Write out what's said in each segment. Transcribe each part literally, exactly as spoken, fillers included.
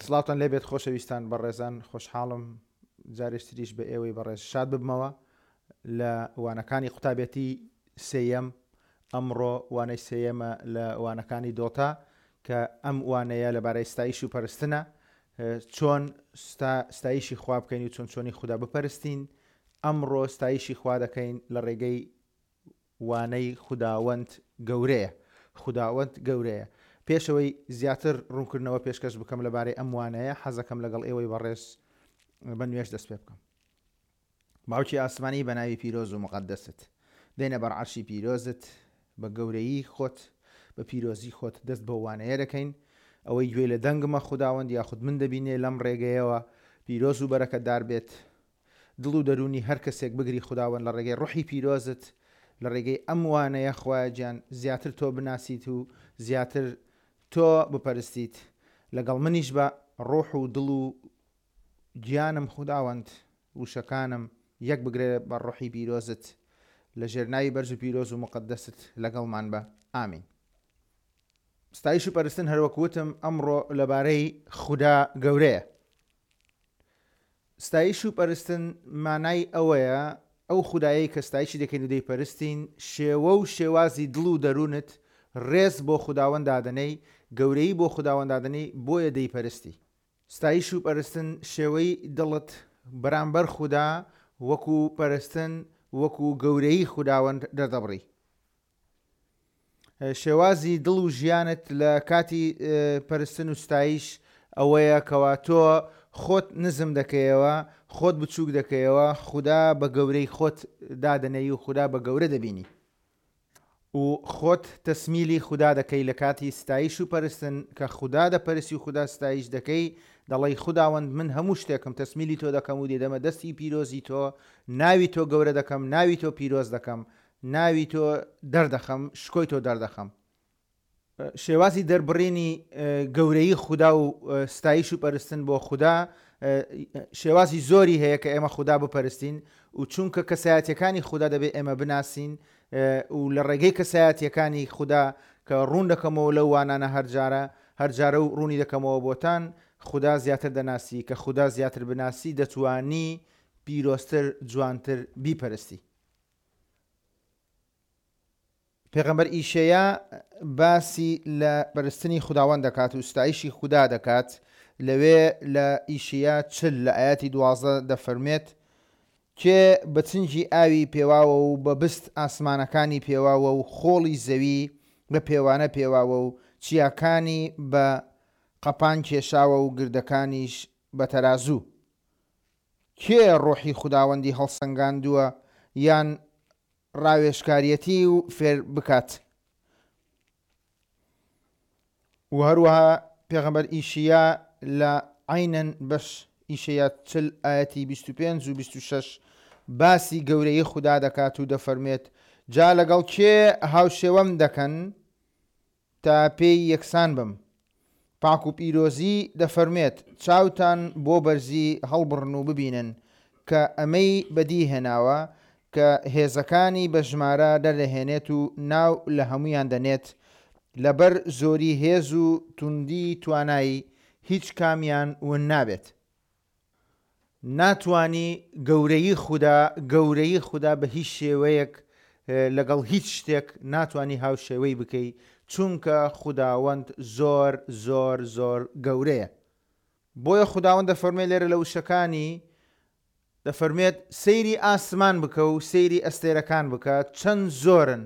سڵاوتان لێبێت خۆشەویستان بەڕێزان، خۆشحاڵم جارێکتریش بە ئێوەی بەڕێز شاد ببمەوە لە وانەکانی قوتابێتی سێیەم. ئەمڕۆ وانەی سێیەمە لە وانەکانی دۆتا کە ئەم وانەیە لەبارەی ستایش و پەرستنە، چۆن ستایشی خوا بکەین و چۆن چۆنی خودا بپەرستین. ئەمڕۆ ستایشی خوا دەکەین لە ڕێگەی وانەی خوداوەند گەورەیە. خوداوەند گەورەیە. پێشەوەی زیاتر ڕوونکردنەوە پێشکەش بکەم لەبارەی ئەم وانەیە، حەزەکەم لەگەڵ ئێوەی بەڕێز بە نوێژ دەست پێ بکەم. باوکی ئاسمانی بە ناوی پیرۆز و مقەدەست دێنە بەر عەرشی پیرۆزت، بە گەورەیی خۆت بە پیرۆزی خۆت دەست بەو وانەیە دەکەین. ئەوەی گوێی لە دەنگمە خوداوەند یاخود من دەبینێ لەم ڕێگەیەوە پیرۆز و بەرەکەتدار بێت. دڵ و دەروونی هەر کەسێک بگری خوداوەند لە ڕێگەی ڕۆحی پیرۆزت، لە ڕێگەی ئەم وانەیە خوایە گیان زیاتر تۆ بناسیت و زیاتر تۆ بپەرستیت. لەگەڵ منیش بە ڕۆح و دڵ و گیانم خوداوەند وشەکانم یەک بگرێ بە ڕۆحی پیرۆزت، لە ژێر ناوی بەرز و پیرۆز و مقەدەست لەگەڵمان بە. ئامین. ستایش و پەرستن هەروەک وتم ئەمڕۆ لەبارەی خودا گەورەیە. ستایش و پەرستن مانای ئەوەیە ئەو خودایەی کە ستایشی دەکەین و دەیپەرستین شێوە و شێوازی دڵ و دەروونت ڕێز بۆ خوداوەند دادەنەی، گەورەیی بۆ خوداوەند دادەنەی، بۆیە دەیپەرستی. ستایش و پەرستن شێوەی دڵت بەرامبەر خودا وەکو پەرستن وەکو گەورەیی خوداوەند دەردەبڕی. شێوازی دڵ و ژیانت لە کاتی پەرستن و ستایش ئەوەیە کەوا تۆ خۆت نزم دەکەیەوە، خۆت بچووک دەکەیەوە، خودا بە گەورەی خۆت دادەنێی و خودا بە گەورە دەبینی و خۆت تەسمیلی خودا دەکەی لە کاتی ستایش و پەرستن. کە خودا دەپەرسی و خودا ستایش دەکەی، دەڵێی خوداوەند من هەموو شتێکم تەسمیلی تۆ دەکەم و دێدەمە دەستی پیرۆزی تۆ، ناوی تۆ گەورە دەکەم، ناوی تۆ پیرۆز دەکەم، ناوی تۆ دەردەخەم، شکۆی تۆ دەردەخەم. شێوازی دەربڕینی گەورەیی خودا و ستایش و پەرستن بۆ خودا شێوازی زۆری هەیە کە ئێمە خودا بپەرستین و چونکە کەسایەتیەکانی خودا دەبێت ئێمە بناسین و لە ڕێگەی کەسایەتیەکانی خودا کە ڕوون دەکەمەوە لەو وانانە هەرجارە هەرجارە و ڕوونی دەکەمەوە بۆتان، خودا زیاتر دەناسی. کە خودا زیاتر بناسی دەتوانی پیرۆزتر جوانتر بیپەرستی. پێغەمبەر ئیشەیا باسی لە پەرستنی خوداوەند دەکات و ستایشی خودا دەکات. لەوێ لە ئیشەیا چل لە ئاەتی دوازدە دەفەرمێت: کێ بە چنگی ئاوی پێواوە و بە بست ئاسمانەکانی پێواوە و خۆڵی زەوی بە پێوانە پێواوە و چیاکانی بە قەپان کێشاوە و گردەکانیش بە تەرازوو؟ کێ ڕۆحی خوداوەندی هەڵسەنگاندووە یان ڕاوێژکاریەتی و فێر بکات؟ و هەروەها پێغەمبەر ئیشیا لە عینەن بەش ئیشیا چل ئاەتی بیست و پێنج و بیست و شەش باسی گەورەی خودا دەکات و دەفەرمێت: جا لەگەڵ کێ هاوشێوەم دەکەن تا پێی یەکسان بم؟ پاک و پیرۆزی دەفەرمێت: چاوتان بۆ بەرزی هەڵبڕن و ببینن کە ئەمەی بەدی هێناوە، کە هێزەکانی بە ژمارە دەردەهێنێت و ناو لە هەمویان دەنێت، لەبەر زۆری هێز و توندی توانایی هیچ کامیان ون نابێت. ناتوانی گەورەی خودا گەورەی خودا بە هیچ شێوەیەک لەگەڵ هیچ شتێک ناتوانی هاوشێوەی بکەی، چونکە خوداوەند زۆر زۆر زۆر گەورەیە. بۆیە خوداوەند دەفەرمێت لێرە لە وشەکانی دەفەرمێت: سەیری ئاسمان بکە و سەیری ئەستێرەکان بکە، چەند زۆرن،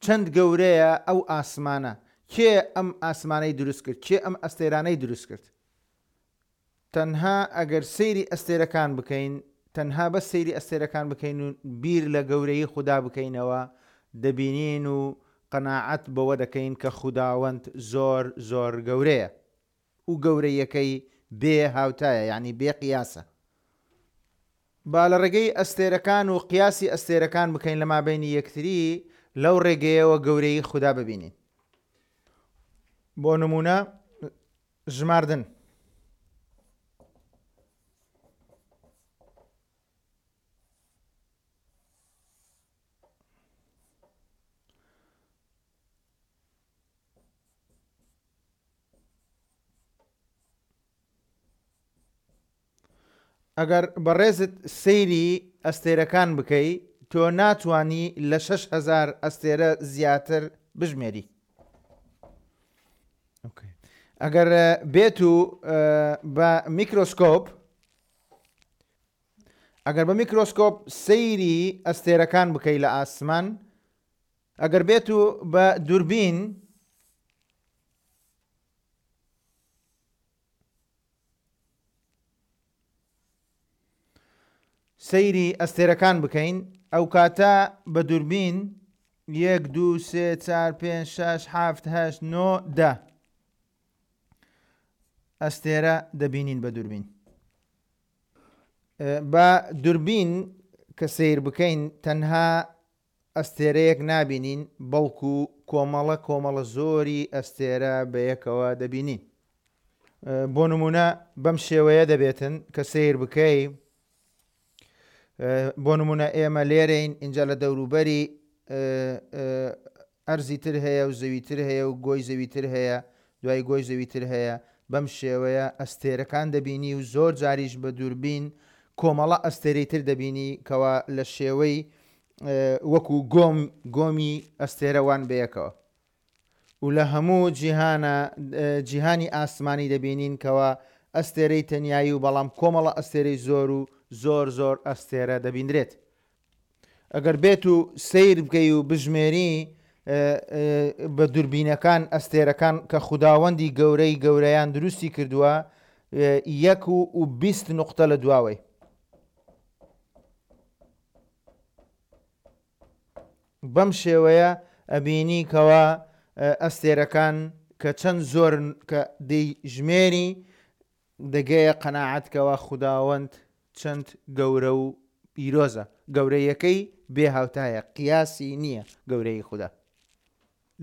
چەند گەورەیە ئەو ئاسمانە. کێ ئەم ئاسمانەی دروست کرد؟ کێ ئەم ئەستێرانەی دروست کرد؟ تەنها ئەگەر سەیری ئەستێرەکان بکەین، تەنها بە سەیری ئەستێرەکان بکەین و بیر لە گەورەی خودا بکەینەوە، دەبینین و قەناعەت بەوە دەکەین کە خوداوەند زۆر زۆر گەورەیە و گەورەیەکەی بێ هاوتایە، یعنی بێ قیاسە. با لە ڕێگەی ئەستێرەکان و قیاسی ئەستێرەکان بکەین لە مابینی یەکتری، لەو ڕێگەیەوە گەورەی خودا ببینین. بۆ نمونە ژماردن. ئەگەر بەڕێزت سەیری ئەستێرەکان بکەی تۆ ناتوانی لە شەش هەزار ئەستێرە زیاتر بژمێری. ئەگەر بێت و بە میکرۆسکۆپ ئەگەر بە میکرۆسکۆپ سەیری ئەستێرەکان بکەی لە ئاسمان، ئەگەر بێت و بە دووربین سەیری ئەستێرەکان بکەین، ئەو کاتە بە دووربین یەک دوو سێ چار پێنج شەش حەفت هەشت نۆ دە ئەستێرە دەبینین بە دووربین. بە دووربین کە سەیر بکەین تەنها ئەستێرەیەک نابینین، بەڵکو کۆمەڵە کۆمەڵە زۆری ئەستێرە بەیەکەوە دەبینین. بۆ نمونە بەم شێوەیە دەبێتن کە سەیر بکەی، بۆ نمونە ئێمە لێرەین، اینجا لە دەوروبەری ئەرزی تر هەیە و زەویتر هەیە و گۆی زەویتر هەیە، دوای گۆی زەویتر هەیە. بەم شێوەیە ئەستێرەکان دەبینی و زۆر جاریش بە دووربین کۆمەڵە ئەستێرەی تر دەبینی کەوا لە شێوەی وەکو گۆم گۆمی ئەستێرەوان بەیەکەوە. و لە هەموو جیهانە جیهانی ئاسمانی دەبینین کەوا ئەستێرەی تەنیایی و بەڵام کۆمەڵە ئەستێرەی زۆر و زۆر زۆر ئەستێرە دەبیندرێت. ئەگەر بێت و سەیر بکەی و بژمێری بە دووربینەکان ئەستێرەکان کە خوداوەندی گەورەی گەورەیان دروستی کردووە، یەک و بیست نقطە لە دواوەی. بەم شێوەیە ئەبینی کەوا ئەستێرەکان کە چەند زۆر کە دەیژمێری دەگەیە قەناعەت کەوا خوداوەند چەند گەورە و پیرۆزە. گەورەیەکەی بێ هاوتایە، قیاسی نییە گەورەی خودا.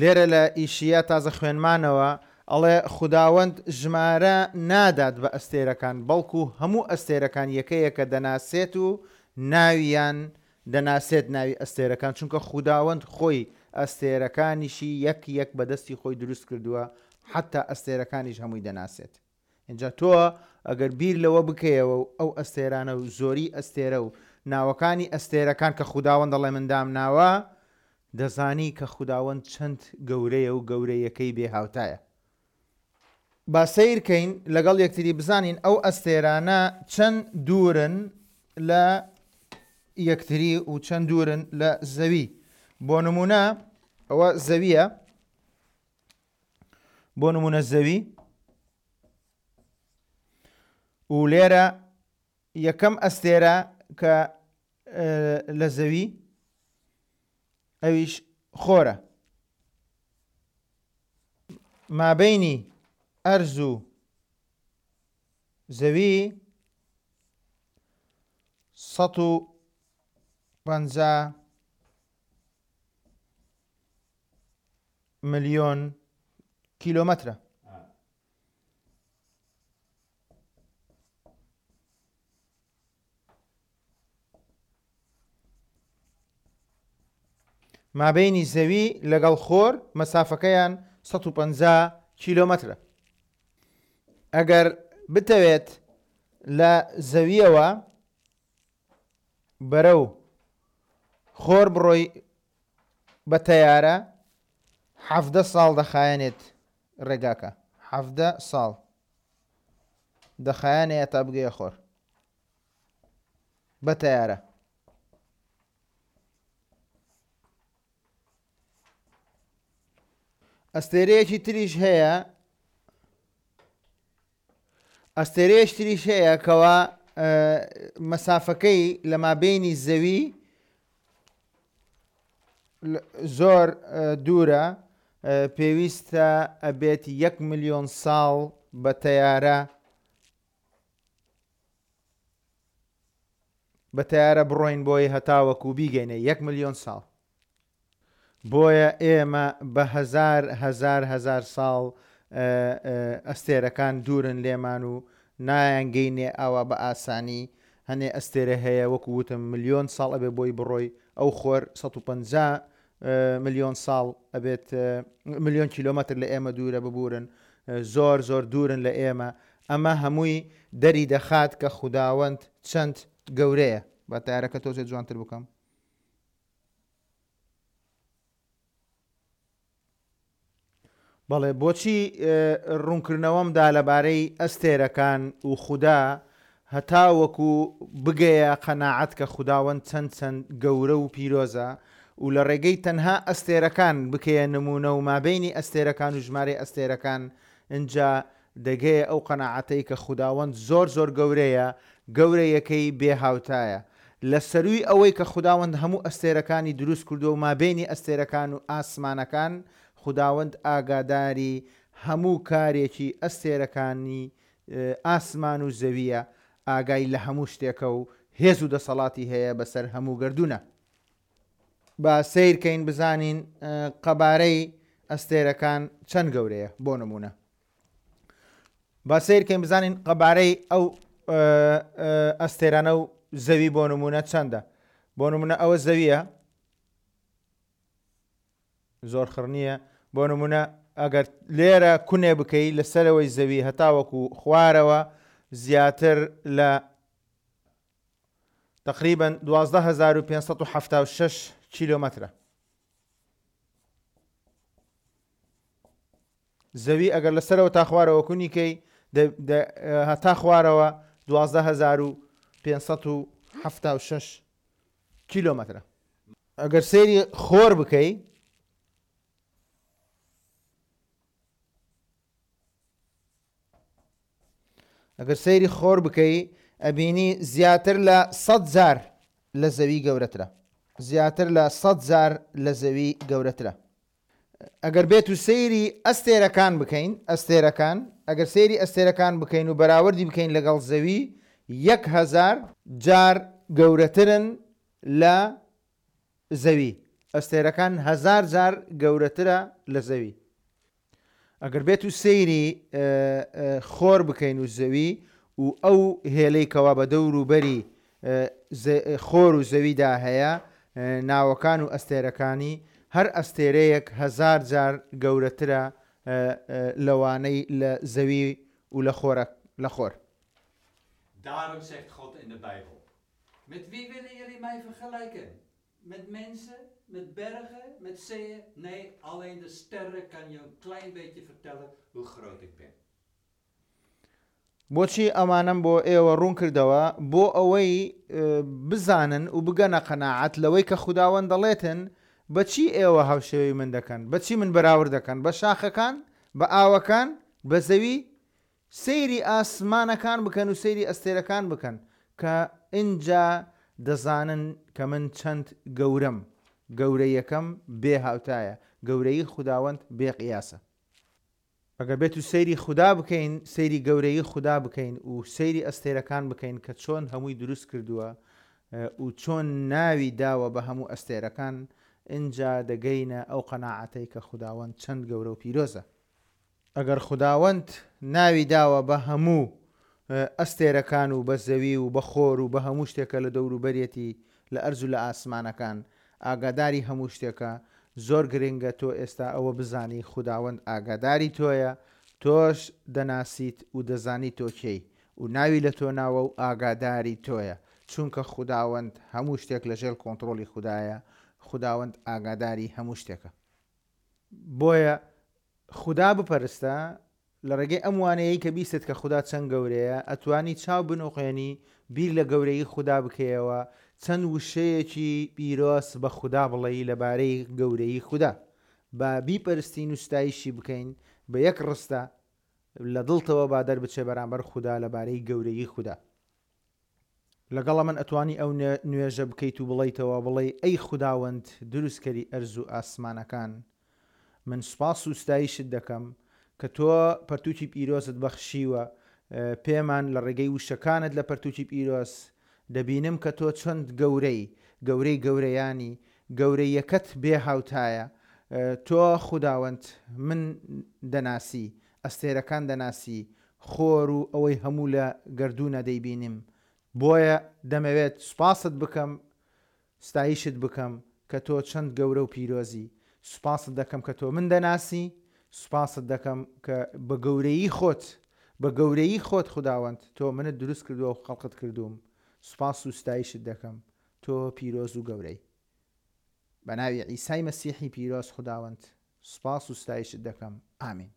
لێرە لە ئیشیە تازە خوێنمانەوە ئەڵێ خوداوەند ژمارە نادات بە ئەستێرەکان، بەڵکو هەموو ئەستێرەکان یەکەیەکە دەناسێت و ناویان دەناسێت، ناوی ئەستێرەکان، چونکە خوداوەند خۆی ئەستێرەکانیشی یەک یەک بەدەستی خۆی دروست کردووە، حتا ئەستێرەکانیش هەمووی دەناسێت. اینجا تۆ ئەگەر بیر لەوە بکەیەوە و ئەو ئەستێرانە و زۆری ئەستێرە و ناوەکانی ئەستێرەکان کە خوداوەند دەڵێ من دامناوە، دەزانی کە خوداوەند چەند گەورەیە و گەورەیەکەی بێهاوتایە. با سەیرکەین لەگەڵ یەکتری بزانین ئەو ئەستێرانە چەند دوورن لە یەکتری و چەند دوورن لە زەوی. بۆ نمونە ئەوە زەویە، بۆ نمونە زەوی و لێرە یەکەم ئەستێرە کە لە زەوی ئەویش خۆرە. مابینی ئەرز و زەوی سەد و پەنجا ملیۆن کیلۆمەترە. مابینی زەوی لەگەڵ خۆر مەسافەکەیان سەد و پەنجا کیلۆمەترە. ئەگەر بتەوێت لە زەویەوە بەرەو خۆر بڕۆی بە تەیارە، حەفدە ساڵ دەخایەنێت ڕێگاکە، حەفدە ساڵ دەخایەنێت تا بگەیە خۆر بە تەیارە. ئەستێرەیەکی تریش هەیە، ئەستێرەیەکی تریش هەیە کەوا مەسافەکەی لە مابینی زەوی زۆر دوورە، پێویستە ئەبێت یەک ملیۆن ساڵ بە تەیارە بە تەیارە بڕۆین بۆی هەتاوەکو بیگەینە یەک ملیۆن ساڵ. بۆیە ئێمە بە هەزار هەزار هەزار ساڵ ئەستێرەکان دوورن لێمان و نایانگەینێ ئاوا بە ئاسانی. هەنێ ئەستێرە هەیە وەکو وتم ملیۆن ساڵ ئەبێ بۆی بڕۆی، ئەو خۆر سەد و پەنجا ملیۆن ساڵ ئەبێت، ملیۆن کیلۆمەتر لە ئێمە دوورە، ببورن، زۆر زۆر دوورن لە ئێمە. ئەمە هەمووی دەری دەخات کە خوداوەند چەند گەورەیە. با تارەکە تۆزێ جوانتر بکەم. بەڵێ، بۆچی ڕوونکردنەوەمدا لەبارەی ئەستێرەکان و خودا هەتاوەکو بگەیە قەناعەت کە خوداوەند چەند چەند گەورە و پیرۆزە و لە ڕێگەی تەنها ئەستێرەکان بکەیە نمونە و مابینی ئەستێرەکان و ژمارەی ئەستێرەکان، ئینجا دەگەیە ئەو قەناعەتەی کە خوداوەند زۆر زۆر گەورەیە، گەورەیەکەی بێ هاوتایە. لە سەروی ئەوەی کە خوداوەند هەموو ئەستێرەکانی دروست کردووە و مابینی ئەستێرەکان و ئاسمانەکان، خوداوەند ئاگاداری هەموو کارێکی ئەستێرەکانی ئاسمان و زەویە، ئاگای لە هەموو شتێکە و هێز و دەسەڵاتی هەیە بەسەر هەموو گردونە. با سەیرکەین بزانین قەبارەی ئەستێرەکان چەند گەورەیە. بۆ نمونە با سەیرکەین بزانین قەبارەی ئەو ئەستێرانە و زەوی بۆ نمونە چەندە. بۆ نمونە ئەوە زەویە، زۆر خڕ نییە. بۆ نمونە ئەگەر لێرە کونێ بکەی لەسەرەوەی زەوی هەتاوەکو خوارەوە زیاتر لە تقریبا دوازدە هەزار و پێنج سەد و حەفتا و شەش کیلۆمەترە. زەوی ئەگەر لەسەرەوە تا خوارەوە کونیکەی هەتا خوارەوە دوازدە هەزار و پێنج سەد و حەفتا و شەش کیلۆمەترە. ئەگەر سەیری خۆر بکەی ئەگەر سەیری خۆر بکەی ئەبینی زیاتر لە سەد جار لە زەوی گەورەترە، زیاتر لە سەد جار لە زەوی گەورەترە. ئەگەر بێت و سەیری ئەستێرەکان بکەین، ئەستێرەکان ئەگەر سەیری ئەستێرەکان بکەین و بەراوردی بکەین لەگەڵ زەوی، یەک هەزار جار گەورەترن لە زەوی. ئەستێرەکان هەزار جار گەورەترە لە زەوی. ئەگەر بێت و سەیری خۆر بکەین و زەوی و ئەو هێلەی کەوا بە دەور و بەری خۆر و زەویدا هەیە، ناوەکان و ئەستێرەکانی، هەر ئەستێرەیەک هەزار جار گەورەترە لەوانەی لە زەوی و لە خۆرە لە خۆر. Daarom zegt God in de Bijbel: Met wie willen jullie mij vergelijken? Met mensen, met bergen, met zeeën? Nee, alleen de sterren kan je een klein beetje vertellen hoe groot ik ben. بۆچی ئەمانەم بۆ ئێوە ڕوون کردەوە؟ بۆ ئەوەی بزانن و بگەنە قەناعەت لەوەی کە خوداوەند دەڵێتن بەچی ئێوە هاوشێوەی من دەکەن، بەچی من بەراورد دەکەن، بە شاخەکان، بە ئاوەکان، بە زەوی. سەیری ئاسمانەکان بکەن و سەیری ئەستێرەکان بکەن کە ئینجا دەزانن کە من چەند گەورەم. گەورەیەکەم بێ هاوتایە، گەورەی خوداوەند بێ قیاسە. ئەگەر بێت و سەیری خودا بکەین، سەیری گەورەی خودا بکەین و سەیری ئەستێرەکان بکەین کە چۆن هەمووی دروست کردووە و چۆن ناوی داوە بە هەموو ئەستێرەکان، ئینجا دەگەینە ئەو قەناعەتەی کە خوداوەند چەند گەورە و پیرۆزە. ئەگەر خوداوەند ناوی داوە بە هەموو ئەستێرەکان و بە زەوی و بە خۆر و بە هەموو شتێکە لە دەوروبەرێتی لە ئەرز و لە ئاسمانەکان، ئاگاداری هەموو شتێکە، زۆر گرنگە تۆ ئێستا ئەوە بزانی خوداوەند ئاگاداری تۆیە، تۆش دەناسیت و دەزانی تۆ کێی و ناوی لە تۆ ناوە و ئاگاداری تۆیە، چونکە خوداوەند هەموو شتێک لەژێر کۆنترۆڵی خودایە، خوداوەند ئاگاداری هەموو شتێکە. بۆیە خودا بپەرستە لە ڕێگەی ئەم وانەیەی کە بیستت کە خودا چەند گەورەیە، ئەتوانی چاو بنوقێنی، بیر لە گەورەی خودا بکەیەوە، چەند وشەیەکی پیرۆز بە خودا بڵێی لەبارەی گەورەی خودا. با بیپەرستین و ستایشی بکەین بە یەک ڕستە لە دڵتەوە با دەربچێ بەرامبەر خودا لەبارەی گەورەی خودا. لەگەڵە من ئەتوانی ئەو نوێژە بکەیت و بڵێیتەوە، بڵێ ئەی خوداوەند دروستکەری ئەرز و ئاسمانەکان، من سوپاس و ستایشت دەکەم کە تۆ پەرتووکی پیرۆزت بەخشیوە پێمان لە ڕێگەی وشەکانت لە پەرتووکی پیرۆز دەبینم کە تۆ چەند گەورەی، گەورەی گەورەیانی، گەورەیەکەت بێ هاوتایە. تۆ خوداوەند من دەناسی، ئەستێرەکان دەناسی، خۆر و ئەوەی هەموو لە گردونە دەیبینیم. بۆیە دەمەوێت سوپاست بکەم، ستایشت بکەم کە تۆ چەند گەورە و پیرۆزی. سوپاست دەکەم کە تۆ من دەناسی، سوپاست دەکەم کە بە گەورەیی خۆت، بە گەورەیی خۆت خوداوەند تۆ منت دروست کردووە و خەڵقت کردووم، سوپاس و ستایشت دەکەم، تۆ پیرۆز و گەورەی. بە ناوی عیسای مەسیحی پیرۆز خوداوەند سوپاس و ستایشت دەکەم. ئامین.